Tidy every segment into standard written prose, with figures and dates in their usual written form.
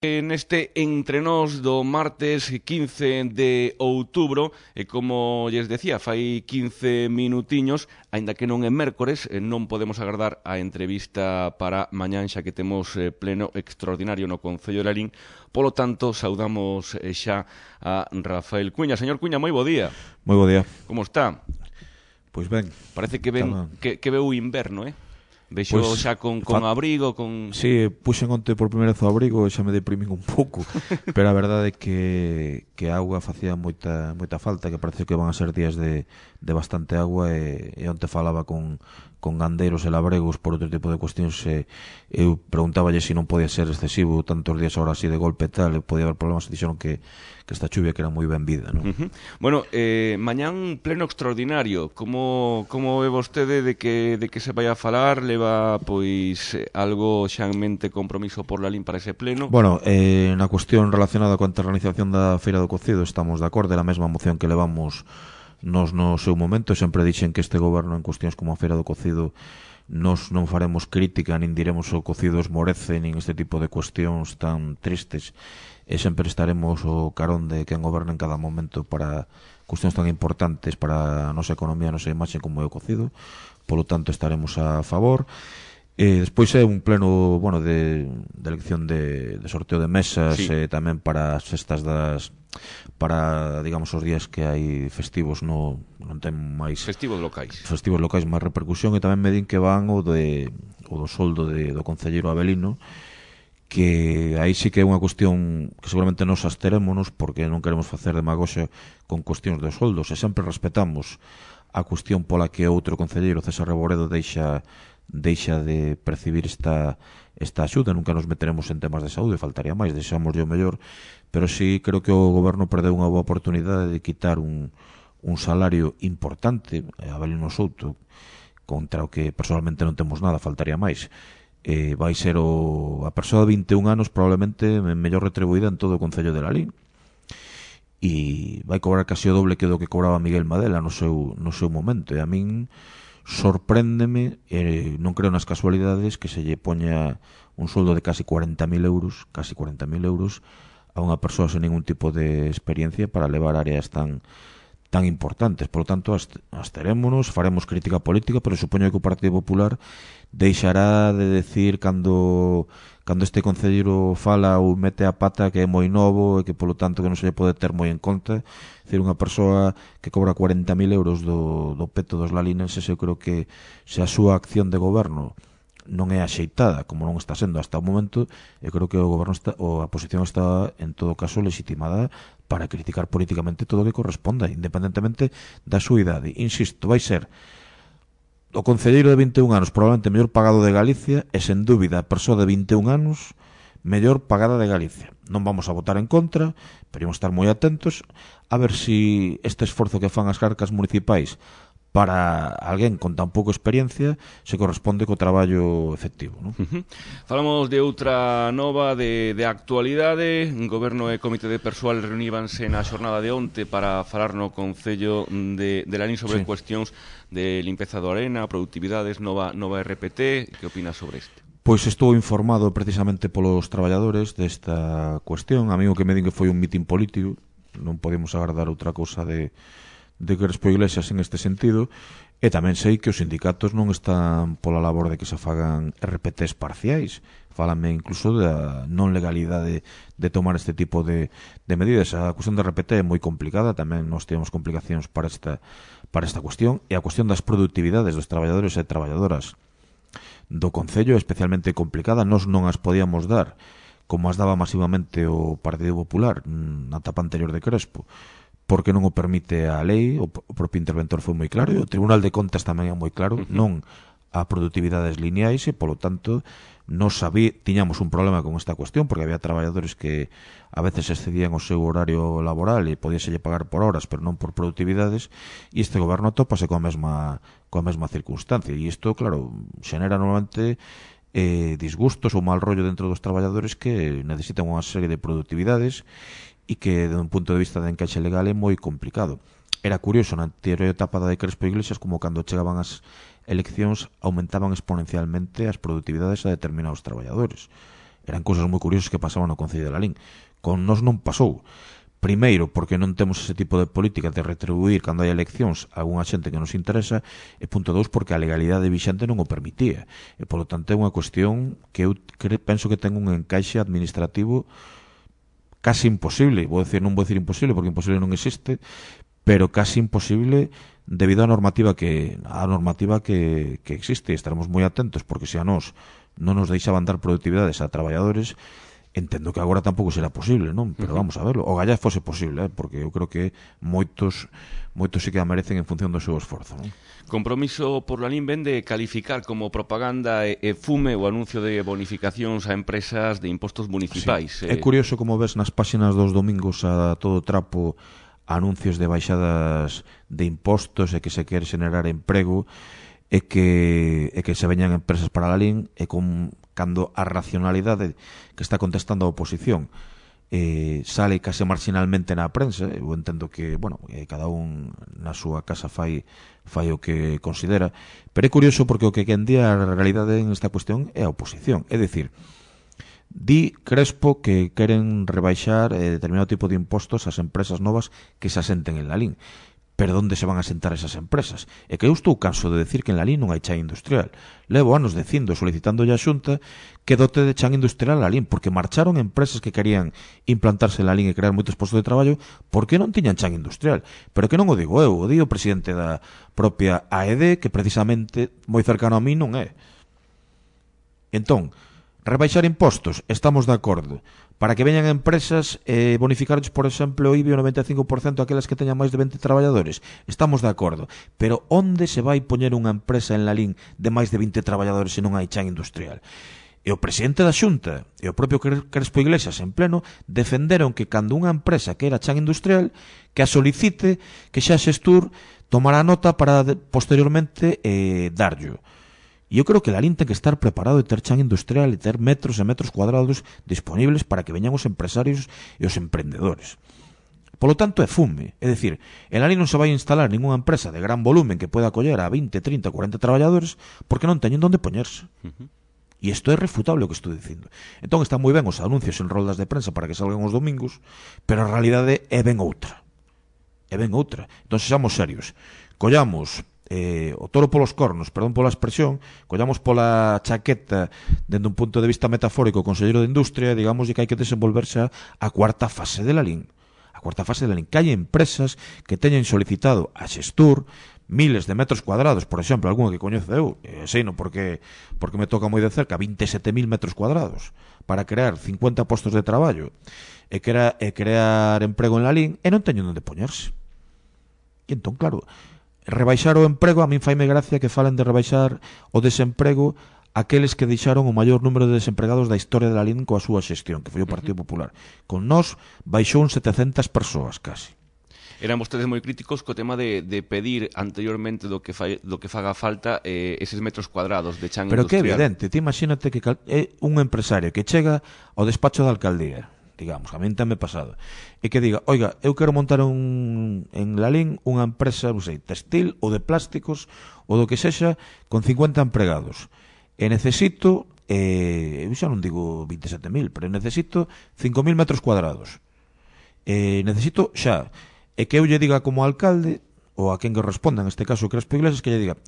Neste Entre Nós do martes 15 de outubro, e como lles decía, fai 15 minutiños, aínda que non é mércores, non podemos agardar a entrevista para mañán, xa que temos pleno extraordinario no Concello de Lalín. Polo tanto, saudamos xa a Rafael Cuña. Señor Cuña, moi bo día. Moi bo día. Como está? Pois ben. Parece que veu o inverno, Vexo Pois, xa con abrigo, con... Sí, puxen onte por primeira vez o abrigo e xa me deprimín un pouco. Pero a verdade é que a auga facía moita falta, que parece que van a ser días de bastante agua, e onte falaba con gandeiros e labregos por outro tipo de cuestións, e eu preguntáballe se non podía ser excesivo tantos días ahora así de golpe e tal, e podía haber problemas, e dixeron que esta chuvia que era moi ben vida, non? Bueno, mañán pleno extraordinario. Como ve vostede de que se vai a falar? Leva, pois, algo xa en mente compromiso por Lalín para ese pleno? Bueno, na cuestión relacionada coa organización da Feira do Cocido estamos de acordo, é a mesma moción que levamos nos no seu momento. Sempre dixen que este goberno en cuestións como a Feira do Cocido nos non faremos crítica, nin diremos o cocido esmorece, nin este tipo de cuestións tan tristes, e sempre estaremos o carón de quen goberna en cada momento para cuestións tan importantes para a nosa economía, a nosa imaxe como é o cocido. Polo tanto, estaremos a favor. Despois é un pleno, bueno, de elección de sorteo de mesas, sí. Tamén para as festas para, digamos, os días que hai festivos, non ten máis festivos locais máis repercusión. E tamén me din que van o do soldo do concelleiro Abelino, que aí sí que é unha cuestión que seguramente nos absterémonos, porque non queremos facer demagoxia con cuestións de soldos, e sempre respetamos a cuestión pola que outro concelleiro, César Reboredo, deixa de percibir esta axuda. Nunca nos meteremos en temas de saúde, faltaría máis, deixamos o mellor, pero sí creo que o goberno perdeu unha boa oportunidade de quitar un salario importante a Abelino Souto, contra o que personalmente non temos nada, faltaría máis. Vai ser a persoa de 21 anos probablemente mellor retribuída en todo o Concello de Lalín, e vai cobrar casi o doble que do que cobraba Miguel Madela no seu momento. E a min sorpréndeme, non creo nas casualidades, que se lle poña un soldo de casi 40.000 euros a unha persoa sen ningún tipo de experiencia para levar áreas tan importantes. Por lo tanto, absterémonos, faremos crítica política, pero supoño que o Partido Popular deixará de decir cando este concelleiro fala ou mete a pata que é moi novo e que, polo tanto, que non se lle pode ter moi en conta. É dicir, unha persoa que cobra 40.000 euros do peto dos lalinenses, eu creo que se a súa acción de goberno non é axeitada, como non está sendo hasta o momento, eu creo que o goberno a posición está, en todo caso, legitimada para criticar políticamente todo o que corresponda, independentemente da súa idade. Insisto, vai ser o concelleiro de 21 anos probablemente mellor pagado de Galicia, e sen dúbida a persoa de 21 anos mellor pagada de Galicia. Non vamos a votar en contra, pero ímos estar moi atentos a ver se este esforzo que fan as carcas municipais para alguén con tan pouca experiencia se corresponde co traballo efectivo, non? Falamos de outra nova de actualidade. O Goberno e Comité de Persoal reuníbanse na xornada de onte para falar no Concello de Lalín sobre cuestións de limpeza do arena, productividades, nova RPT. Que opinas sobre isto? Pois estou informado precisamente polos traballadores desta cuestión. A mí o que me din que foi un mitin político, non podemos agardar outra cousa de Crespo Iglesias en este sentido, e tamén sei que os sindicatos non están pola labor de que se fagan RPTs parciais. Fálame incluso da non legalidade de tomar este tipo de medidas. A cuestión da RPT é moi complicada, tamén nós temos complicacións para esta cuestión, e a cuestión das productividades dos traballadores e traballadoras do Concello é especialmente complicada. Nós non as podíamos dar como as daba masivamente o Partido Popular na etapa anterior de Crespo, porque non o permite a lei. O propio interventor foi moi claro, e o Tribunal de Contas tamén é moi claro, non a productividades lineais, e, polo tanto, tiñamos un problema con esta cuestión, porque había traballadores que a veces excedían o seu horario laboral e podíaselle pagar por horas, pero non por productividades, e este goberno tópase coa mesma circunstancia, e isto, claro, xenera normalmente disgustos ou mal rollo dentro dos traballadores que necesitan unha serie de productividades e que, de un punto de vista de encaixe legal, é moi complicado. Era curioso na anterior etapa de Crespo Iglesias como cando chegaban as eleccións aumentaban exponencialmente as productividades a determinados traballadores. Eran cousas moi curiosas que pasaban no Concello de Lalín. Con nós non pasou. Primeiro, porque non temos ese tipo de política de retribuir cando hai eleccións a unha xente que nos interesa, e punto 2, porque a legalidade vixente non o permitía. E, polo tanto, é unha cuestión que eu penso que ten un encaixe administrativo casi imposible. Non vou decir imposible, porque imposible non existe, pero casi imposible debido á normativa que existe. Estaremos moi atentos, porque se a nós non nos deixaban dar productividades a traballadores, entendo que agora tampouco será posible, non? Pero vamos a verlo. O gallá fose posible, porque eu creo que moitos sí que a merecen en función do seu esforzo, non? Compromiso por Lalín ven de calificar como propaganda e fume o anuncio de bonificacións a empresas de impostos municipais. Sí. É curioso como ves nas páxinas dos domingos a todo trapo anuncios de baixadas de impostos e que se quere xenerar emprego e que se veñan empresas para Lalín e cando a racionalidade que está contestando a oposición sale case marginalmente na prensa. Eu entendo que, cada un na súa casa fai o que considera, pero é curioso porque o que quendía a realidade en esta cuestión é a oposición. É dicir, di Crespo que queren rebaixar determinado tipo de impostos ás empresas novas que se asenten en Lalín. Pero onde se van a sentar esas empresas? É que eu estou canso de decir que en Lalín non hai chan industrial. Levo anos dicindo, solicitándolle a Xunta que dote de chan industrial a Lalín, porque marcharon empresas que querían implantarse en Lalín e crear moitos postos de traballo porque non tiñan chan industrial. Pero que non o digo eu, o di o presidente da propia AED, que precisamente moi cercano a mí non é. Entón, rebaixar impostos, estamos de acordo. Para que veñan empresas bonificarles, por exemplo, o IBI o 95% aquelas que teñan máis de 20 traballadores, estamos de acordo. Pero onde se vai poñer unha empresa en Lalín de máis de 20 traballadores se non hai chan industrial? E o presidente da Xunta e o propio Crespo Iglesias en pleno defenderon que cando unha empresa que era chan industrial que a solicite, que xa Xestur tomará nota para posteriormente darllo. E eu creo que Lalín ten que estar preparado de ter chan industrial e ter metros e metros cuadrados disponibles para que veñan os empresarios e os emprendedores. Polo tanto, é fume. É dicir, en Lalín non se vai instalar ninguna empresa de gran volumen que pueda acoller a 20, 30, 40 traballadores porque non teñen onde poñerse. E isto é refutable o que estou dicindo. Entón están moi ben os anuncios en roldas de prensa para que salgan os domingos, pero a realidade é ben outra. Entón, sexamos serios. Collamos o toro polos cornos, perdón pola expresión, collamos pola chaqueta dende un punto de vista metafórico o Conselleiro de Industria, digamos que hai que desenvolverse a cuarta fase de Lalín. A cuarta fase de Lalín, que hai empresas que teñen solicitado a Xestur miles de metros cuadrados, por exemplo, algunha que coñezo eu, seino porque me toca moi de cerca, 27.000 metros cuadrados para crear 50 postos de traballo e crear emprego en Lalín, e non teñen onde poñerse. E entón, claro, rebaixar o emprego, a min faime gracia que falen de rebaixar o desemprego aqueles que deixaron o maior número de desempregados da historia de Lalín coa súa xestión, que foi o Partido Popular. Con nós baixou un 700 persoas casi. Eran vostedes moi críticos co tema de pedir anteriormente do que faga falta eses metros cuadrados de chan pero industrial. Pero que evidente, ti imagínate que é un empresario que chega ao despacho da alcaldía, digamos, a min tamén pasado, e que diga, oiga, eu quero montar en Lalín unha empresa, non sei, textil ou de plásticos ou do que sexa, con 50 empregados, e necesito eu xa non digo 27.000, pero necesito 5.000 metros cuadrados, necesito xa, e que eu lle diga como alcalde ou a quen que responda, en este caso o Crespo Iglesias, que lle diga,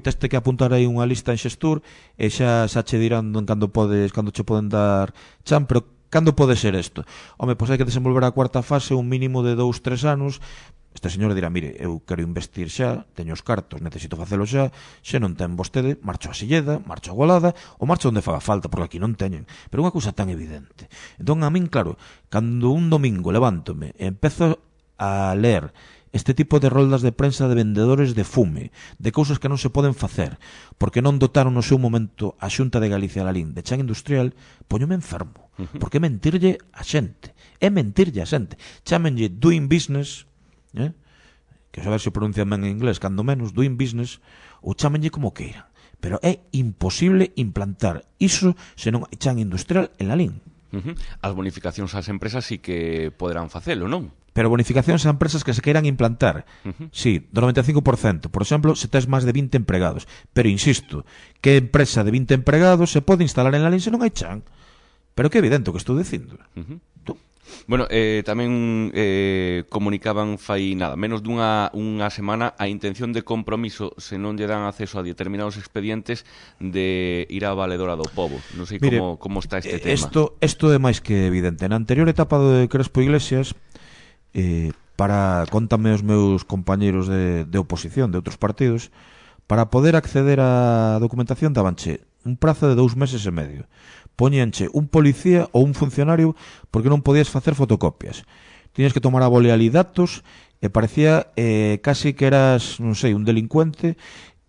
teste que apuntar aí unha lista en Xestur e xa che dirán cando che poden dar chan, pero cando pode ser isto? Home, pois hai que desenvolver a cuarta fase un mínimo de 2-3 anos. Este señor dirá, mire, eu quero investir xa, teño os cartos, necesito facelo xa, se non ten vostede, marcho a Silleda, marcho a Golada, ou marcho onde faga falta, porque aquí non teñen. Pero unha cousa tan evidente. Entón, a min, claro, cando un domingo levántome e empezo a ler este tipo de roldas de prensa de vendedores de fume, de cousas que non se poden facer, porque non dotaron no seu momento a Xunta de Galicia Lalín de chan industrial, poñome enfermo. Porque é mentirlle a xente. Chámenlle doing business, que a ver se pronuncian ben en inglés, cando menos, doing business, ou chámenlle como queiran. Pero é imposible implantar iso se non hai chan industrial en Lalín. As bonificacións ás empresas sí que poderán facelo, non? Pero bonificacións a empresas que se queiran implantar, sí, do 95%, por exemplo, se tes máis de 20 empregados. Pero insisto, que empresa de 20 empregados se pode instalar en Lalín se non hai chan? Pero que evidente o que estou dicindo. Bueno, tamén comunicaban fai nada, menos dunha semana a intención de compromiso, se non lle dan acceso a determinados expedientes, de ir á valedora do pobo. Non sei como está este tema. Isto é máis que evidente. Na anterior etapa de Crespo Iglesias, contame os meus compañeiros de oposición de outros partidos, para poder acceder á documentación dabanche un prazo de 2 meses e medio. Poñenche un policía ou un funcionario porque non podías facer fotocopias. Tiñas que tomar a boleali datos e parecía casi que eras, non sei, un delincuente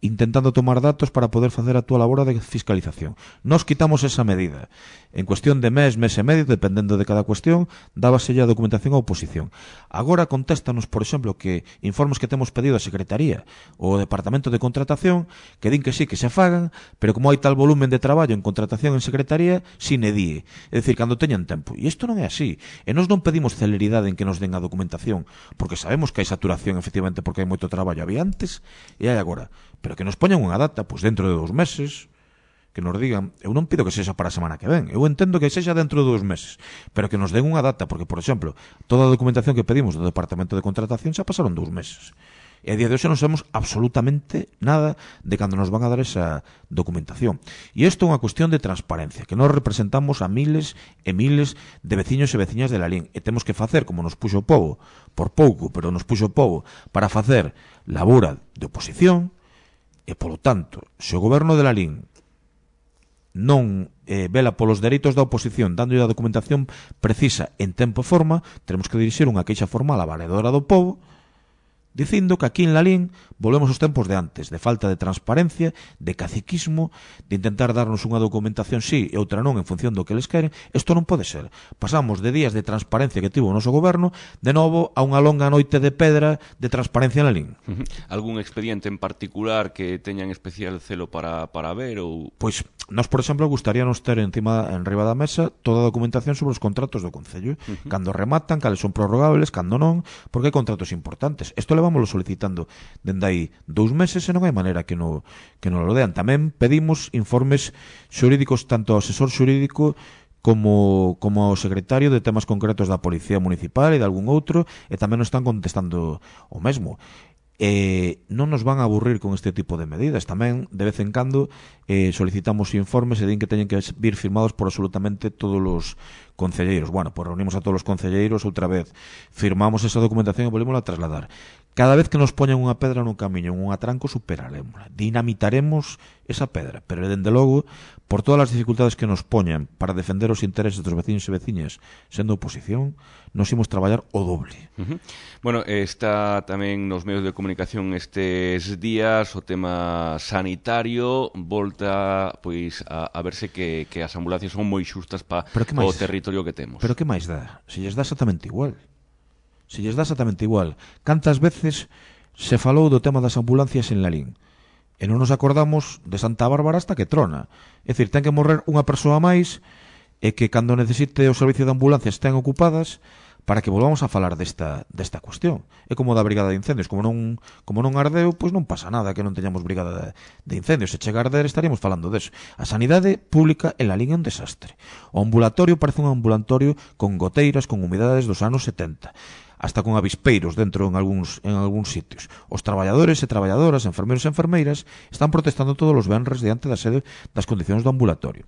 intentando tomar datos para poder facer a túa labor de fiscalización. Nos quitamos esa medida. En cuestión de mes e medio, dependendo de cada cuestión, dábase a documentación á oposición. Agora contéstanos, por exemplo, que informes que temos pedido a Secretaría ou ao Departamento de Contratación, que din que sí, que se fagan, pero como hai tal volumen de traballo en contratación en Secretaría, sine die. É dicir, cando teñan tempo. E isto non é así. E nós non pedimos celeridade en que nos den a documentación, porque sabemos que hai saturación, efectivamente, porque hai moito traballo. Había antes e hai agora. Pero que nos poñan unha data, pois dentro de 2 meses, que nos digan, eu non pido que sexa para a semana que ven, eu entendo que sexa dentro de 2 meses, pero que nos den unha data, porque, por exemplo, toda a documentación que pedimos do Departamento de Contratación xa pasaron 2 meses. E a día de hoxe non sabemos absolutamente nada de cando nos van a dar esa documentación. E isto é unha cuestión de transparencia, que nós representamos a miles e miles de veciños e veciñas de Lalín, e temos que facer, como nos puxo o pobo, por pouco, pero nos puxo o pobo, para facer labora de oposición. E, polo tanto, se o goberno de Lalín non vela polos dereitos da oposición dándolle a documentación precisa en tempo e forma, teremos que dirixir unha queixa formal á valedora do pobo dicindo que aquí en Lalín volvemos aos tempos de antes, de falta de transparencia, de caciquismo, de intentar darnos unha documentación sí e outra non en función do que eles queren. Isto non pode ser. Pasamos de días de transparencia que tivo o noso goberno de novo a unha longa noite de pedra de transparencia en Lalín. Algún expediente en particular que teñan especial celo para ver? Ou... Pois, nós, por exemplo, gustaríanos ter en riba da mesa toda a documentación sobre os contratos do Concello. Cando rematan, cales son prorrogables, cando non, porque hai contratos importantes. Isto levámoslo solicitando dende aí 2 meses e non hai maneira que non lo dean. Tamén pedimos informes xurídicos tanto ao asesor xurídico como ao secretario de temas concretos da Policía Municipal e de algún outro, e tamén nos están contestando o mesmo. Non nos van a aburrir con este tipo de medidas. Tamén, de vez en cando, solicitamos informes e din que teñen que vir firmados por absolutamente todos os concelleiros. Bueno, pues reunimos a todos os concelleiros outra vez, firmamos esa documentación e volvemos a trasladar. Cada vez que nos poñen unha pedra nun camiño, un atranco, superaremosla, dinamitaremos esa pedra, pero dende logo, por todas as dificultades que nos poñan para defender os intereses dos veciños e veciñas sendo oposición, nos imos traballar o doble. Bueno, está tamén nos medios de comunicación estes días o tema sanitario, volta pois a verse que as ambulancias son moi xustas para o territorio que temos. Pero que máis dá? Se lles dá exactamente igual. Cantas veces se falou do tema das ambulancias en Lalín e non nos acordamos de Santa Bárbara hasta que trona. É dicir, ten que morrer unha persoa máis e que cando necesite o servicio de ambulancias estén ocupadas para que volvamos a falar desta cuestión. É como da brigada de incendios, como non ardeu, pois non pasa nada que non teñamos brigada de incendios. Se chega a arder estaríamos falando deso. A sanidade pública en Lalín é un desastre. O ambulatorio parece un ambulatorio con goteiras, con humidades dos anos 70. Hasta con avispeiros dentro en algúns sitios. Os traballadores e traballadoras, enfermeiros e enfermeiras, están protestando todos os venres diante da sede das condicións do ambulatorio.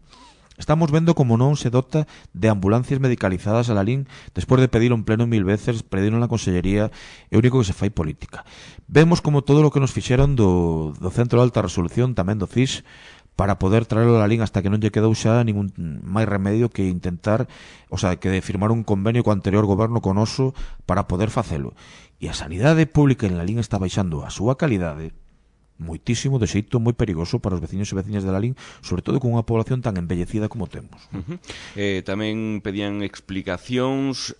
Estamos vendo como non se dota de ambulancias medicalizadas a Lalín despois de pedir en pleno 1000 veces, pediron na Consellería, é o único que se fai política. Vemos como todo o que nos fixeron do Centro de Alta Resolución, tamén do CIS, para poder traerlo a Lalín hasta que non lle quedou xa ningún máis remedio que intentar, que firmar un convenio co anterior goberno con Oso para poder facelo. E a sanidade pública en Lalín está baixando a súa calidade moitísimo, de xeito moi perigoso para os veciños e veciñas de Lalín, sobre todo con unha población tan envellecida como temos. Tamén pedían explicacións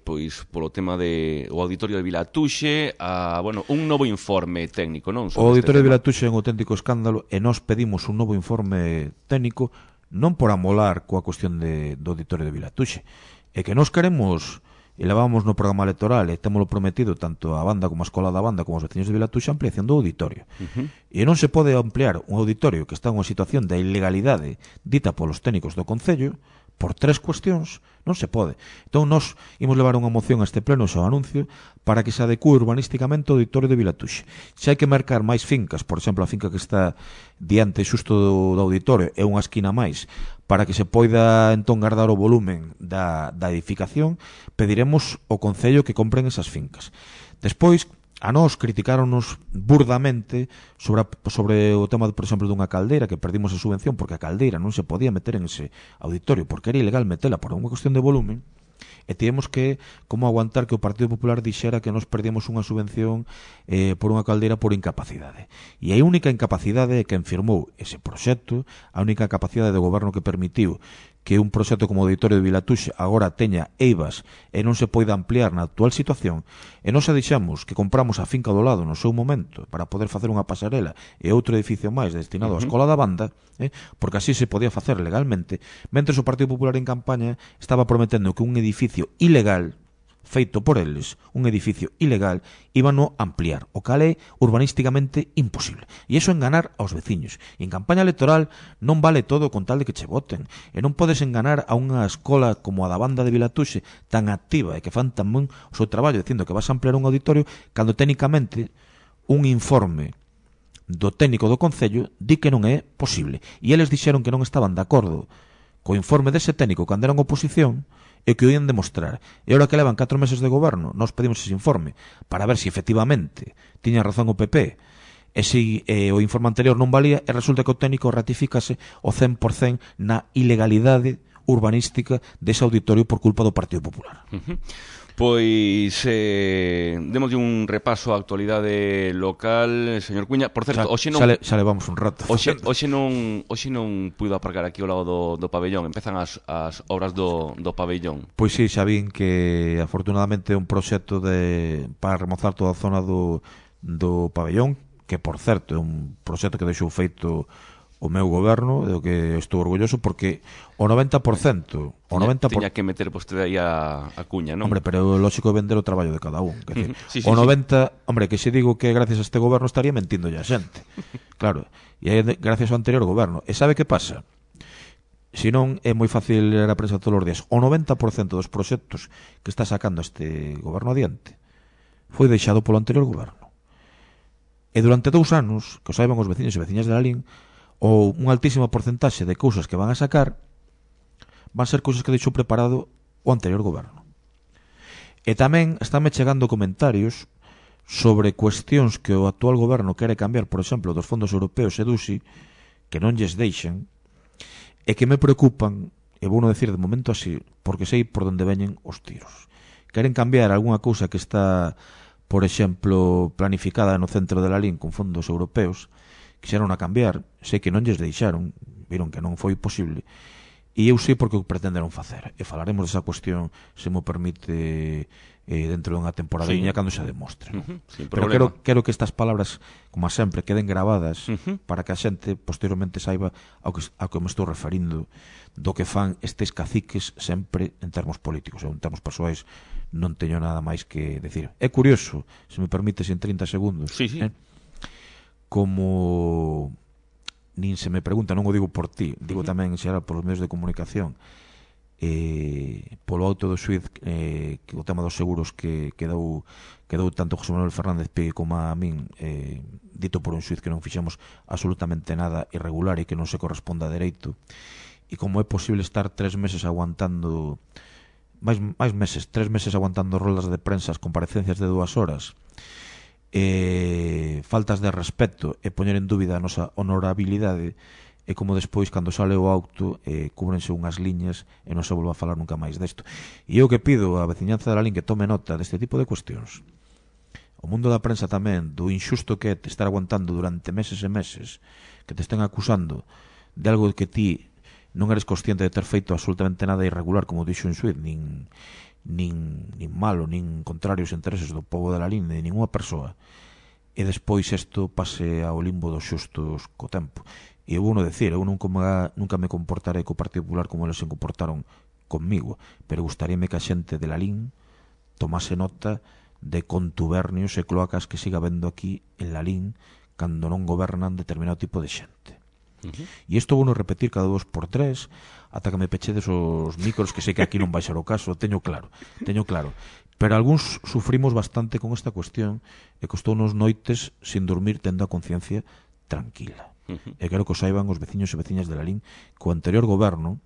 pois polo tema de o auditorio de Vilatuxe, un novo informe técnico, non? O auditorio de Vilatuxe é un auténtico escándalo e nós pedimos un novo informe técnico non por amolar coa cuestión do auditorio de Vilatuxe, é que nós queremos e levábamos no programa electoral e témolo prometido tanto a banda como a escola da banda como os veciños de Vilatuxe a ampliación do auditorio. E non se pode ampliar un auditorio que está en unha situación de ilegalidade dita polos técnicos do Concello por 3 cuestións, non se pode. Entón, nós imos levar unha moción a este pleno, ao anuncio, para que se adecue urbanísticamente o auditorio de Vilatuxe. Se hai que marcar máis fincas, por exemplo, a finca que está diante xusto do auditorio é unha esquina máis, para que se poida entón guardar o volumen da edificación, pediremos ao Concello que compren esas fincas. Despois, a nós criticáronos burdamente sobre o tema, por exemplo, dunha caldeira, que perdimos a subvención porque a caldeira non se podía meter en ese auditorio porque era ilegal metela por unha cuestión de volumen, e tivemos que como aguantar que o Partido Popular dixera que nos perdíamos unha subvención por unha caldeira por incapacidade. E a única incapacidade é quen firmou ese proxecto, a única capacidade do goberno que permitiu que un proxecto como o auditorio de Vilatuxe agora teña eivas e non se poida ampliar na actual situación, e nós dixemos que compramos a finca do lado no seu momento para poder facer unha pasarela e outro edificio máis destinado á Escola da Banda, porque así se podía facer legalmente, mentre o Partido Popular en campaña estaba prometendo que un edificio ilegal feito por eles, un edificio ilegal, íbano ampliar, o cal é urbanísticamente imposible. E iso enganar aos veciños. E en campaña electoral non vale todo con tal de que che voten. E non podes enganar a unha escola como a da Banda de Vilatuxe, tan activa e que fan tamén o seu traballo dicindo que vas a ampliar un auditorio, cando técnicamente un informe do técnico do Concello di que non é posible. E eles dixeron que non estaban de acordo co informe dese técnico cando eran oposición, e que o ian demostrar. E agora que levan 4 meses de goberno, nós pedimos ese informe para ver se efectivamente tiña razón o PP e se o informe anterior non valía, e resulta que o técnico ratificase o 100% na ilegalidade urbanística dese auditorio por culpa do Partido Popular. Pois démoslle un repaso á actualidade local, señor Cuña. Por certo, hoxe non xa levamos un rato. Hoxe non puido aparcar aquí ao lado do pabellón. Empezan as obras do pabellón. Pois sí, xa vin que afortunadamente é un proxecto para remozar toda a zona do pabellón, que por certo é un proxecto que deixou feito o meu goberno, do que estou orgulloso, porque o 90%... Tiña que meter vostede aí a cuña, non? Hombre, pero lógico é vender o traballo de cada un. Sí, o 90%... Hombre, que se digo que gracias a este goberno estaría mentindo ya xente. Claro, e aí gracias ao anterior goberno. E sabe que pasa? Se non é moi fácil ler a prensa todos os días. O 90% dos proxectos que está sacando este goberno adiante foi deixado polo anterior goberno. E durante 2 anos, que o saiban os veciños e veciñas de Lalín, ou un altísimo porcentaxe de cousas que van a sacar van ser cousas que deixou preparado o anterior goberno. E tamén estánme chegando comentarios sobre cuestións que o actual goberno quere cambiar, por exemplo, dos fondos europeos e DUSI, que non lles deixen, e que me preocupan, e vou non decir de momento así, porque sei por onde veñen os tiros. Queren cambiar algunha cousa que está, por exemplo, planificada no centro de Lalín con fondos europeos, quixeron a cambiar, sei que non lles deixaron, viron que non foi posible, e eu sei porque o pretenderon facer, e falaremos desa cuestión, se mo permite, dentro dunha temporadiña, cando se demostre. Pero quero que estas palabras, como sempre, queden gravadas para que a xente posteriormente saiba ao que me estou referindo do que fan estes caciques sempre en termos políticos, ou en termos persoais non teño nada máis que decir. É curioso, se me permites en 30 segundos, como nin se me pregunta, non o digo por ti, digo tamén en xeral polos medios de comunicación, polo auto do xuiz, que o tema dos seguros que quedou tanto José Manuel Fernández Pi como a min, dito por un xuiz que non fixemos absolutamente nada irregular e que non se corresponde a dereito, e como é posible estar 3 meses aguantando máis meses, 3 meses aguantando roldas de prensa, comparecencias de 2 horas, faltas de respeto e poñer en dúbida a nosa honorabilidade, e como despois, cando sale o auto, cúbrense unhas liñas e non se volva a falar nunca máis desto. E eu que pido á veciñanza de Lalín que tome nota deste tipo de cuestións. O mundo da prensa tamén, do injusto que é te estar aguantando durante meses e meses, que te estén acusando de algo que ti non eres consciente de ter feito absolutamente nada irregular, como dixo un xuiz, nin malo, nin contrarios intereses do povo de Lalín, de ninguna persoa, e despois isto pase ao limbo dos xustos co tempo. E eu vou non decir, eu nunca me comportarei co Partido Popular como eles se comportaron conmigo, pero gustaríame que a xente de Lalín tomase nota de contubernios e cloacas que siga vendo aquí en Lalín cando non gobernan determinado tipo de xente. E isto vou non repetir cada 2x3 ata que me pechedes os micros, que sei que aquí non vai ser o caso, teño claro. Pero algúns sufrimos bastante con esta cuestión e costounos noites sin dormir tendo a conciencia tranquila. E quero que o saiban os veciños e veciñas de Lalín que o anterior goberno,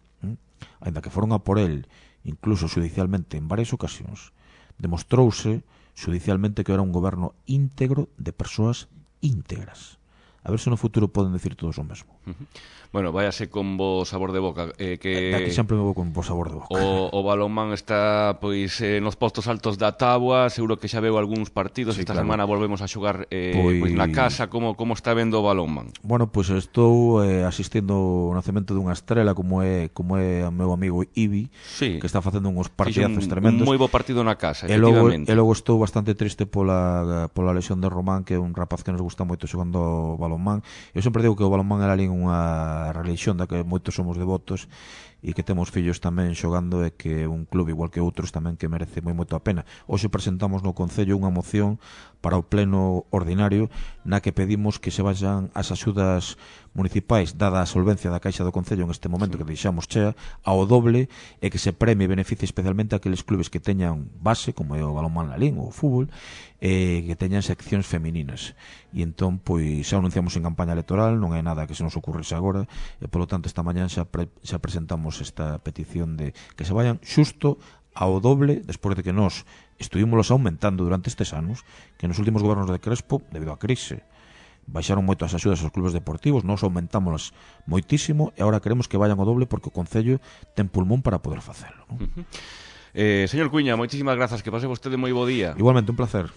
aínda que foron a por el, incluso judicialmente en varias ocasións, demostrouse judicialmente que era un goberno íntegro de persoas íntegras. A ver se no futuro poden decir todos o mesmo. Bueno, váyase con bo sabor de boca, que Aquí sempre me vou con bo sabor de boca. o balonmán está pois nos postos altos da táboa, seguro que xa veu algúns partidos, esta semana volvemos a xogar pois na casa. Como está vendo o balonmán? Bueno, pois estou asistindo ao nacemento dunha estrela como é o meu amigo Ibi, que está facendo uns partidazos tremendos. Un moi bo partido na casa, efectivamente. E logo estou bastante triste pola lesión de Román, que é un rapaz que nos gusta moito xogando o balonmán. Eu sempre digo que o balonmán era ali unha religión da que moitos somos devotos e que temos fillos tamén xogando, e que un club igual que outros tamén que merece moito a pena. Hoxe presentamos no Concello unha moción para o pleno ordinario na que pedimos que se vayan as axudas municipais, dada a solvencia da Caixa do Concello en este momento que deixamos chea, ao doble, e que se premie e beneficie especialmente a aqueles clubes que teñan base, como é o balonmán Lalín ou o fútbol, que teñan seccións femininas. E entón, pois, xa anunciamos en campaña electoral, non é nada que se nos ocurrise agora, e polo tanto esta mañán xa presentamos esta petición de que se vayan xusto ao doble, despois de que nós estuvimos aumentando durante estes anos, que nos últimos gobernos de Crespo, debido á crise, baixaron moito as axudas aos clubes deportivos, nós aumentámolas moitísimo, e agora queremos que vayan ao doble porque o Concello ten pulmón para poder facelo, non? Señor Cuña, moitísimas grazas, que pase vostede moi bo día. Igualmente, un placer.